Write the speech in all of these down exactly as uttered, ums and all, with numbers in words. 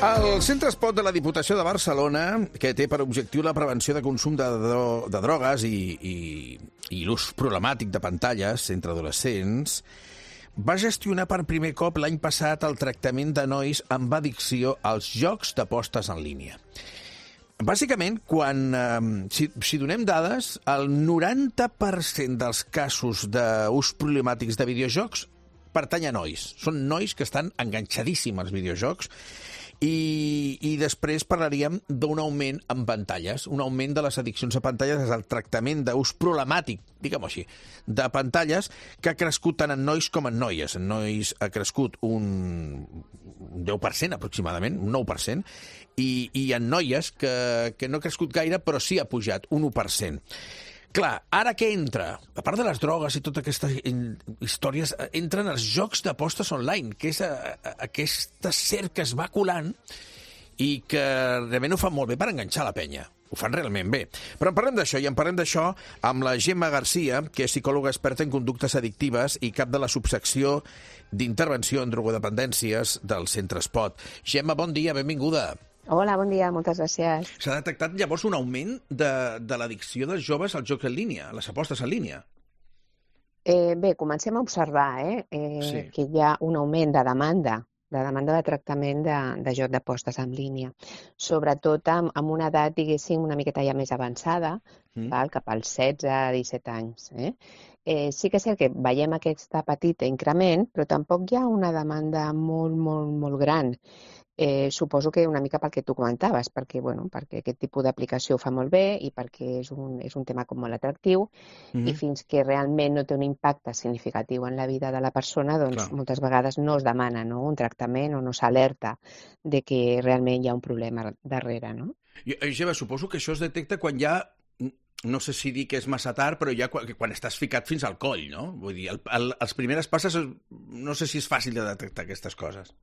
El Centre Espot de la Diputació de Barcelona, que té per objectiu la prevenció de consum de, dro de drogues i, i, i l'ús problemàtic de pantalles entre adolescents, va gestionar per primer cop l'any passat el tractament de nois amb addicció als jocs d'apostes en línia. Bàsicament, quan, eh, si, si donem dades, el noranta per cent dels casos d'ús problemàtics de videojocs pertany a nois. Són nois que estan enganxadíssims als videojocs. I, i després parlaríem d'un augment en pantalles, un augment de les addiccions a pantalles és el tractament d'ús problemàtic, diguem-ho així, de pantalles que ha crescut tant en nois com en noies. En nois ha crescut un deu per cent aproximadament, un nou per cent, i, i en noies que, que no ha crescut gaire, però sí ha pujat, un u per cent. Clar, ara què entra? A part de les drogues i totes aquestes històries, entren els jocs d'apostes online, que és a, a, aquesta ser que es va colant i que realment ho fan molt bé per enganxar la penya. Ho fan realment bé. Però en parlem d'això, i en parlem d'això amb la Gemma Garcia, que és psicòloga experta en conductes addictives i cap de la subsecció d'intervenció en drogodependències del Centre Espot. Gemma, bon dia, benvinguda. Hola, bon dia, moltes gràcies. S'ha detectat llavors un augment de, de l'addicció dels joves als jocs en línia, a les apostes en línia? Eh, bé, comencem a observar eh, eh, sí. que hi ha un augment de demanda, de demanda de tractament de, de joc d'apostes en línia, sobretot amb, amb una edat, diguéssim, una miqueta ja més avançada, mm. val, cap als setze a disset anys. Eh? Eh, sí que és cert que veiem aquest petit increment, però tampoc hi ha una demanda molt, molt, molt gran. Eh, suposo que una mica pel que tu comentaves, perquè, bueno, perquè aquest tipus d'aplicació ho fa molt bé i perquè és un, és un tema com molt atractiu mm-hmm. i fins que realment no té un impacte significatiu en la vida de la persona, doncs Clar. moltes vegades no es demana no, un tractament o no s'alerta de que realment hi ha un problema darrere. No? I, Gemma, suposo que això es detecta quan ja, no sé si dir que és massa tard, però ja quan, quan estàs ficat fins al coll, no? Vull dir, el, el, els primeres passes, no sé si és fàcil de detectar aquestes coses.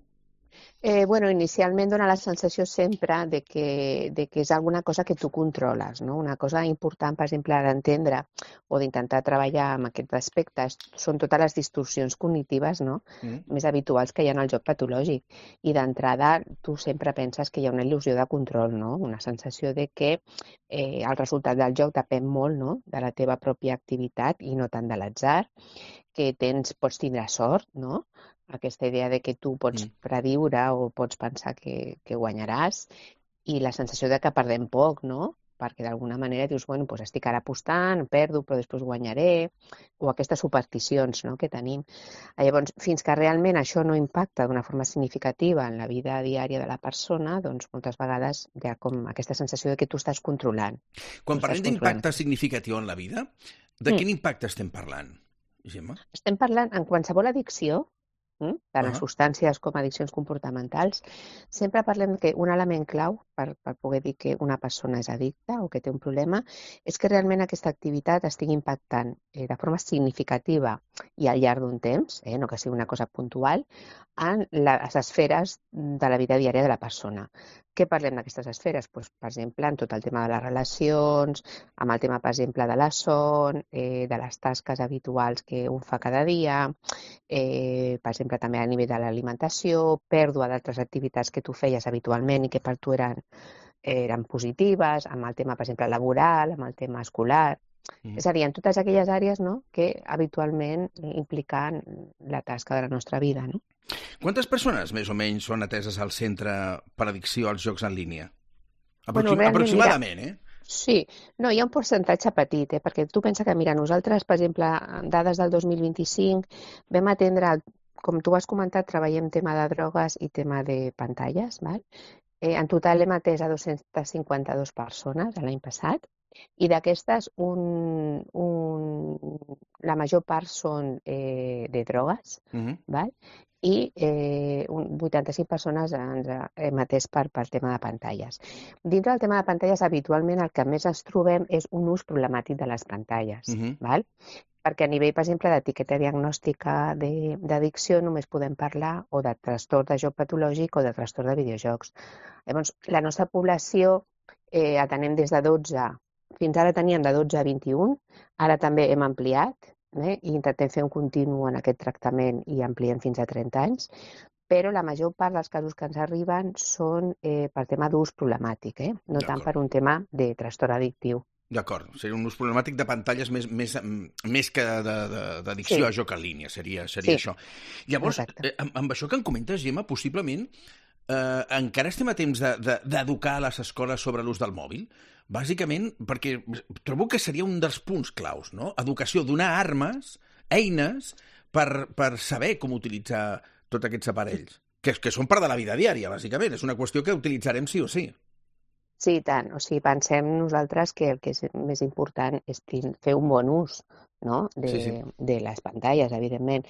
Eh, bueno, inicialment dona la sensació sempre de que, de que és alguna cosa que tu controles, no? Una cosa important, per exemple, d'entendre o d'intentar treballar amb aquests aspectes són totes les distorsions cognitives no? mm. més habituals que hi ha en el joc patològic. I d'entrada tu sempre penses que hi ha una il·lusió de control, no? Una sensació de que eh, el resultat del joc depèn molt no? de la teva pròpia activitat i no tant de l'atzar, que tens, pots tindre sort, no? Aquesta idea de que tu pots mm. prediure o pots pensar que, que guanyaràs i la sensació de que perdem poc, no? Perquè d'alguna manera dius, bueno, doncs estic ara apostant, perdo, però després guanyaré, o aquestes supersticions no? que tenim. Llavors, fins que realment això no impacta d'una forma significativa en la vida diària de la persona, doncs moltes vegades hi ha com aquesta sensació de que tu estàs controlant. Quan parlem d'impacte significatiu en la vida, de quin mm. impacte estem parlant, Gemma? Estem parlant en qualsevol addicció, tant uh-huh. en substàncies com addiccions comportamentals, sempre parlem que un element clau per, per poder dir que una persona és addicta o que té un problema és que realment aquesta activitat estigui impactant eh, de forma significativa i al llarg d'un temps, eh, no que sigui una cosa puntual, en les esferes de la vida diària de la persona. Què parlem d'aquestes esferes? Pues, per exemple, en tot el tema de les relacions, amb el tema, per exemple, de la son, eh, de les tasques habituals que un fa cada dia, eh, per exemple, també a nivell de l'alimentació, pèrdua d'altres activitats que tu feies habitualment i que per tu eren, eren positives, amb el tema, per exemple, laboral, amb el tema escolar. Mm. És a dir, en totes aquelles àrees no, que habitualment impliquen la tasca de la nostra vida, no? Quantes persones, més o menys, són ateses al centre per addicció als jocs en línia? Aproxim bueno, aproximadament, mira, eh? Sí. No, hi ha un percentatge petit, eh? Perquè tu pensa que, mira, nosaltres, per exemple, dades del dos mil vint-i-cinc, vam atendre, com tu has comentat, treballem tema de drogues i tema de pantalles, val? Eh, en total hem atès a dos-centes cinquanta-dues persones l'any passat, i d'aquestes un, un, la major part són eh, de drogues, uh-huh. val? I eh, un vuitanta-cinc persones ens hem atès per, per tema de pantalles. Dintre del tema de pantalles, habitualment el que més ens trobem és un ús problemàtic de les pantalles, uh-huh. val? Perquè a nivell, per exemple, d'etiqueta diagnòstica d'addicció només podem parlar o de trastorn de joc patològic o de trastorn de videojocs. Llavors, la nostra població eh, atenem des de dotze, fins ara teníem de dotze a vint-i-un, ara també hem ampliat, eh, i intentem fer un continu en aquest tractament i ampliem fins a trenta anys, però la major part dels casos que ens arriben són eh, per tema d'ús problemàtic, eh? No tant per un tema de trastorn addictiu. D'acord, seria un ús problemàtic de pantalles més, més, més que d'addicció sí. a joc en línia, seria, seria sí. això. Llavors, eh, amb, amb això que em comentes, Gemma, possiblement eh, encara estem a temps d'educar de, de, a les escoles sobre l'ús del mòbil? Bàsicament, perquè trobo que seria un dels punts claus, no? Educació, donar armes, eines, per, per saber com utilitzar tots aquests aparells, que, que són part de la vida diària, bàsicament. És una qüestió que utilitzarem sí o sí. Sí, i tant. O sigui, pensem nosaltres que el que és més important és fer un bon ús, no? de, sí, sí. de les pantalles, evidentment.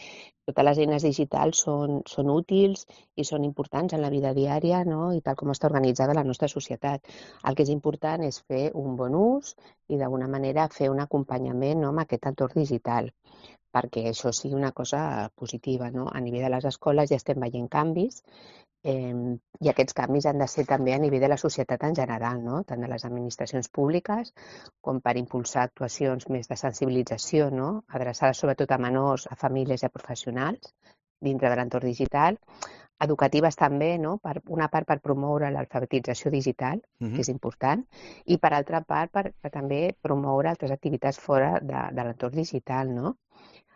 Totes les eines digitals són, són útils i són importants en la vida diària, no? I tal com està organitzada la nostra societat. El que és important és fer un bon ús i d'alguna manera fer un acompanyament, no? amb aquest entorn digital, perquè això sigui una cosa positiva, no? A nivell de les escoles ja estem veient canvis, Eh, i aquests canvis han de ser també a nivell de la societat en general, no? Tant de les administracions públiques com per impulsar actuacions més de sensibilització, no? Adreçades sobretot a menors, a famílies i a professionals dintre de l'entorn digital, educatives també, no? Per una part per promoure l'alfabetització digital, uh-huh. que és important, i per altra part per, per també promoure altres activitats fora de, de l'entorn digital, no?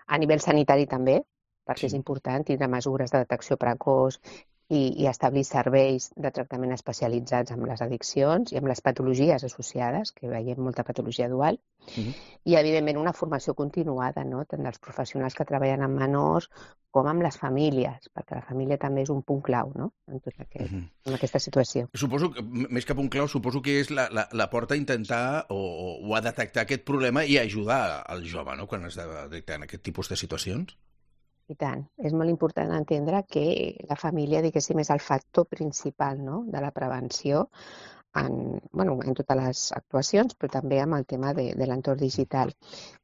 A nivell sanitari també, perquè sí. és important tindre mesures de detecció precoç I, i establir serveis de tractament especialitzats amb les addiccions i amb les patologies associades, que veiem molta patologia dual, uh-huh. i evidentment una formació continuada, no? Tant dels professionals que treballen amb menors com amb les famílies, perquè la família també és un punt clau, no? en, tot aquest, uh-huh. en aquesta situació. Suposo que, més que punt clau, suposo que és la, la, la porta a intentar o, o a detectar aquest problema i ajudar al jove, no?, quan es detecten aquest tipus de situacions. I tant. És molt important entendre que la família, diguéssim, és el factor principal, no?, de la prevenció en, bueno, en totes les actuacions, però també amb el tema de, de l'entorn digital.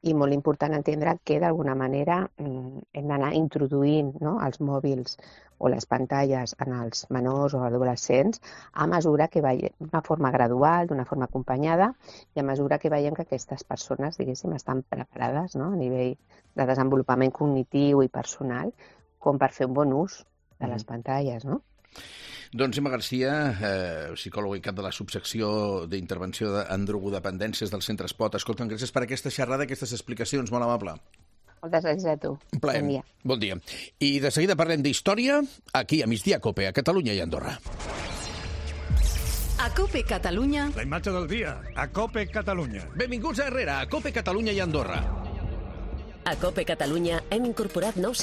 I molt important entendre que, d'alguna manera, hem d'anar introduint, no?, els mòbils o les pantalles en els menors o adolescents a mesura que veiem, d'una forma gradual, d'una forma acompanyada, i a mesura que veiem que aquestes persones, diguéssim, estan preparades, no?, a nivell de desenvolupament cognitiu i personal, com per fer un bon ús de les pantalles, no? Doncs Gemma Garcia, eh, psicòloga i cap de la subsecció d'intervenció en drogodependències del Centre Espot. Escolta'm, gràcies per aquesta xerrada, aquestes explicacions, molt amable. Moltes gràcies a tu. Un plaer. Bon dia. Bon dia. I de seguida parlem d'història, aquí a Migdia Cope, a Catalunya i Andorra. A Cope Catalunya... La imatge del dia, a Cope Catalunya. Benvinguts a Herrera, a Cope Catalunya i Andorra. A Cope Catalunya hem incorporat nous